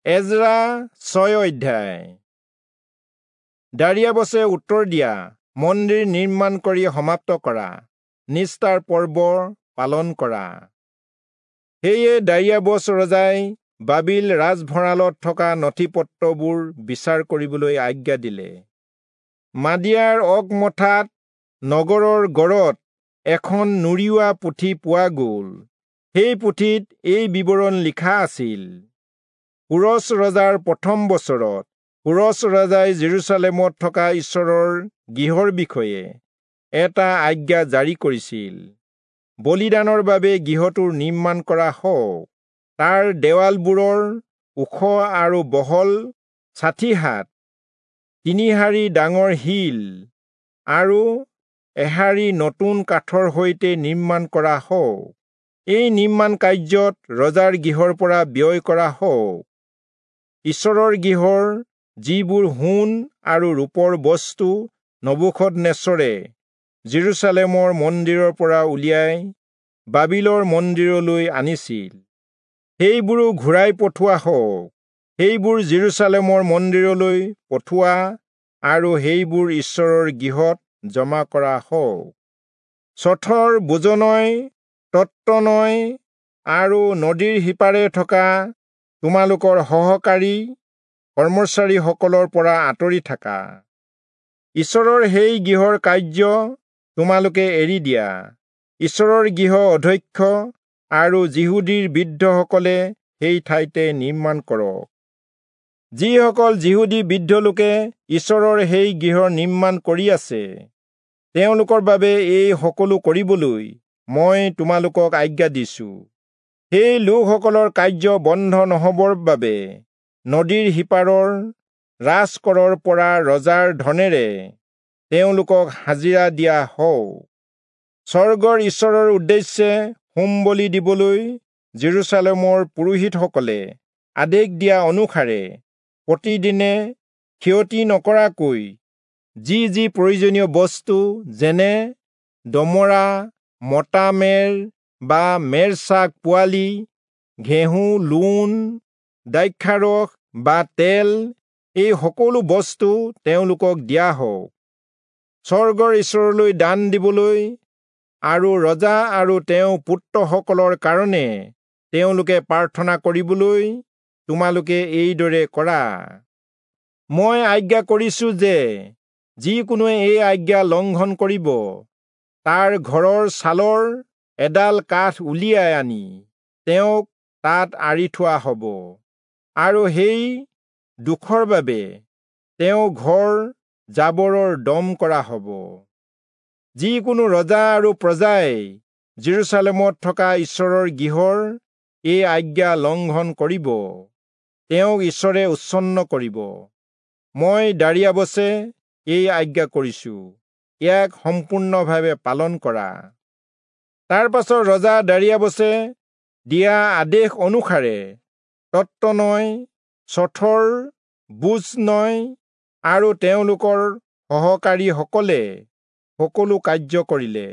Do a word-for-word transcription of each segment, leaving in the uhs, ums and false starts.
এজৰা ছয় অধ্যায়। দাৰিয়াবছে উত্তৰ দিয়া মন্দিৰ নিৰ্মাণ কৰি সমাপ্ত কৰা, নিস্তাৰ পৰ্ব পালন কৰা। সেয়ে দাৰিয়াবছ ৰজাই বাবিল ৰাজভঁৰালত থকা নথি-পত্ৰবোৰ বিচাৰ কৰিবলৈ আজ্ঞা দিলে। মাদিয়াৰ অকমথাত নগৰৰ গড়ত এখন নুৰিওৱা পুথি পোৱা গ'ল। সেই পুথিত এই বিৱৰণ লিখা আছিল: কোৰচ ৰজাৰ প্ৰথম বছৰত কোৰচ ৰজাই জেৰুচালেমত থকা ঈশ্বৰৰ গৃহৰ বিষয়ে এটা আজ্ঞা জাৰি কৰিছিল। বলিদানৰ বাবে গৃহটো নিৰ্মাণ কৰা হওক। তাৰ দেৱালবোৰৰ ওখ আৰু বহল ষাঠি হাত, তিনি শাৰী ডাঙৰ শিল আৰু এশাৰী নতুন কাঠৰ সৈতে নিৰ্মাণ কৰা হওক। এই নিৰ্মাণ কাৰ্যত ৰজাৰ গৃহৰ পৰা ব্যয় কৰা হওক। ঈশ্বৰৰ গৃহৰ যিবোৰ সোণ আৰু ৰূপৰ বস্তু নবূখদনেচৰে জেৰুচালেমৰ মন্দিৰৰ পৰা উলিয়াই বাবিলৰ মন্দিৰলৈ আনিছিল, সেইবোৰো ঘূৰাই পঠোৱা হওক। সেইবোৰ জেৰুচালেমৰ মন্দিৰলৈ পঠোৱা আৰু সেইবোৰ ঈশ্বৰৰ গৃহত জমা কৰা হওক। চথৰ বোজনয়, তত্তনয় আৰু নদীৰ সিপাৰে থকা তোমালোকৰ সহকাৰী কৰ্মচাৰীসকলৰ পৰা আঁতৰি থাকা। ঈশ্বৰৰ সেই গৃহৰ কাৰ্য তোমালোকে এৰি দিয়া। ঈশ্বৰৰ গৃহ অধ্যক্ষ আৰু যিহুদীৰ বৃদ্ধসকলে সেই ঠাইতে নিৰ্মাণ কৰক। যিসকল যিহুদী বৃদ্ধ লোকে ঈশ্বৰৰ সেই গৃহ নিৰ্মাণ কৰি আছে, তেওঁলোকৰ বাবে এই সকলো কৰিবলৈ মই তোমালোকক আজ্ঞা দিছো। সেই লোকসকলৰ কাৰ্য বন্ধ নহবৰ বাবে নদীৰ সিপাৰৰ ৰাজকৰৰ পৰা ৰজাৰ ধনেৰে তেওঁলোকক হাজিৰা দিয়া হওক। স্বৰ্গৰ ঈশ্বৰৰ উদ্দেশ্যে হোম বলি দিবলৈ জেৰুচালেমৰ পুৰোহিতসকলে আদেশ দিয়া অনুসাৰে প্ৰতিদিনে ক্ষতি নকৰাকৈ যি যি প্ৰয়োজনীয় বস্তু, যেনে দমৰা, মতা মেৰ বা মেৰছাগ পোৱালি, ঘেঁহু, লোণ, দ্ৰাক্ষাৰস বা তেল, এই সকলো বস্তু তেওঁলোকক দিয়া হওক। স্বৰ্গৰ ঈশ্বৰলৈ দান দিবলৈ আৰু ৰজা আৰু তেওঁৰ পুত্ৰসকলৰ কাৰণে তেওঁলোকে প্ৰাৰ্থনা কৰিবলৈ তোমালোকে এইদৰে কৰা। মই আজ্ঞা কৰিছো যে যিকোনোৱে এই আজ্ঞা লংঘন কৰিব, তাৰ ঘৰৰ ছালৰ এডাল কাঠ উলিয়াই আনি তেওঁক তাত আঁৰি থোৱা হ'ব, আৰু সেই দোষৰ বাবে তেওঁ ঘৰ জাবৰৰ দম কৰা হ'ব। যিকোনো ৰজা আৰু প্ৰজাই জেৰুচালেমত থকা ঈশ্বৰৰ গৃহৰ এই আজ্ঞা লংঘন কৰিব, তেওঁক ঈশ্বৰে উচ্ছন্ন কৰিব। মই দাৰিয়াবছে এই আজ্ঞা কৰিছো, ইয়াক সম্পূৰ্ণভাৱে পালন কৰা। তাৰ পাছত ৰজা দাৰিয়াবছে দিয়া আদেশ অনুসাৰে তত্তনয়, চথৰ বোজনয় আৰু তেওঁলোকৰ সহকাৰীসকলে সকলো কাৰ্য কৰিলে।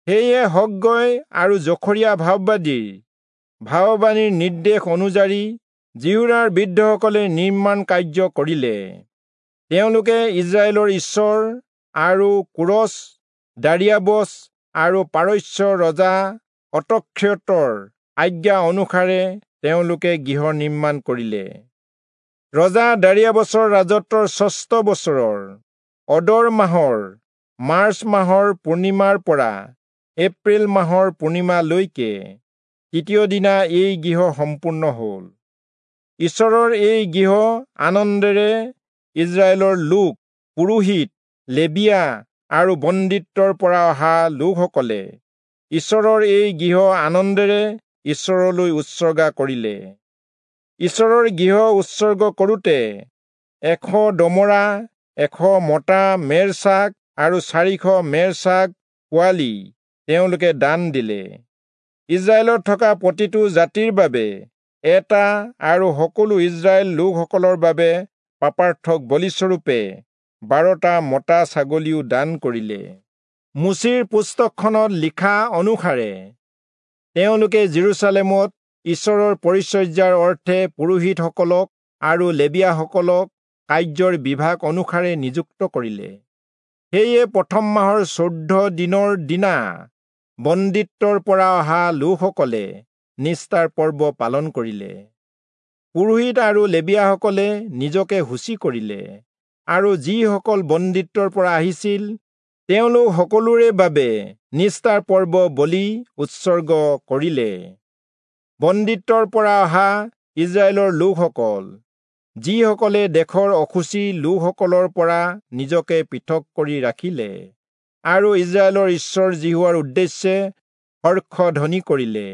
সেয়ে হগ্গয় আৰু জখৰীয়া ভাববাদীৰ ভাববাণীৰ নিৰ্দেশ অনুযায়ী যিহূদাৰ বৃদ্ধসকলে নিৰ্মাণ কাৰ্য কৰিলে। তেওঁলোকে ইজৰাইলৰ ঈশ্বৰ আৰু কোৰচ, দাৰিয়াবছ আৰু পাৰস্য ৰজা অতক্ষতৰ আজ্ঞা অনুসাৰে তেওঁলোকে গৃহ নিৰ্মাণ কৰিলে। ৰজা দাৰিয়াবছৰ ৰাজত্বৰ ষষ্ঠ বছৰৰ অদৰ মাহৰ মাৰ্চ মাহৰ পূৰ্ণিমাৰ পৰা এপ্ৰিল মাহৰ পূৰ্ণিমালৈকে তৃতীয় দিনা এই গৃহ সম্পূৰ্ণ হ'ল। ঈশ্বৰৰ এই গৃহ আনন্দেৰে ইজৰাইলৰ লোক, পুৰোহিত, লেবীয়া আৰু বন্দীত্বৰ পৰা অহা লোকসকলে ঈশ্বৰৰ এই গৃহ আনন্দেৰে ঈশ্বৰলৈ উৎসৰ্গা কৰিলে। ঈশ্বৰৰ গৃহ উৎসৰ্গ কৰোঁতে এশ দমৰা, এশ মতা মেৰছাগ আৰু চাৰিশ মেৰছাগ পোৱালি তেওঁলোকে দান দিলে। ইজৰাইলত থকা প্ৰতিটো জাতিৰ বাবে এটা আৰু সকলো ইজৰাইল লোকসকলৰ বাবে পাপাৰ্থক বলিস্বৰূপে বাৰটা মতা ছাগলীও দান কৰিলে। মোচিৰ পুস্তকখনত লিখা অনুসাৰে তেওঁলোকে জেৰুচালেমত ঈশ্বৰৰ পৰিচৰ্যাৰ অৰ্থে পুৰোহিতসকলক আৰু লেবীয়াসকলক কাৰ্যৰ বিভাগ অনুসাৰে নিযুক্ত কৰিলে। সেয়ে প্ৰথম মাহৰ চৈধ্য দিনৰ দিনা বন্দীত্বৰ পৰা অহা লোকসকলে নিস্তাৰ পৰ্ব পালন কৰিলে। পুৰোহিত আৰু লেবীয়াসকলে নিজকে শুচি কৰিলে আৰু যিসকল বন্দীত্বৰ পৰা আহিছিল তেওঁলোক সকলোৰে বাবে নিস্তাৰ পৰ্ব বলি উৎসৰ্গ কৰিলে। বন্দীত্বৰ পৰা অহা ইজৰাইলৰ লোকসকল, যিসকলে দেশৰ অশুচি লোকসকলৰ পৰা নিজকে পৃথক কৰি ৰাখিলে আৰু ইজৰাইলৰ ঈশ্বৰ যিহোৱাৰ উদ্দেশ্যে হৰ্ষধ্বনি কৰিলে,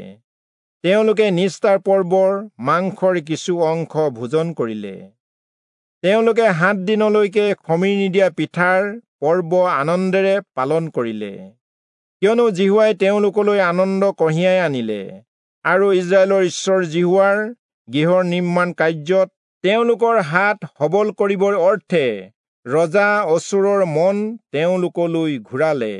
তেওঁলোকে নিস্তাৰ পৰ্বৰ মাংসৰ কিছু অংশ ভোজন কৰিলে। তেওঁলোকে সাত দিনলৈকে খমিৰ নিদিয়া পিঠাৰ পৰ্ব আনন্দেৰে পালন কৰিলে, কিয়নো যিহোৱাই তেওঁলোকলৈ আনন্দ কঢ়িয়াই আনিলে আৰু ইজৰাইলৰ ঈশ্বৰ যিহোৱাৰ গৃহৰ নিৰ্মাণ কাৰ্যত তেওঁলোকৰ হাত সবল কৰিবৰ অৰ্থে ৰজা অচূৰৰ মন তেওঁলোকলৈ ঘূৰালে।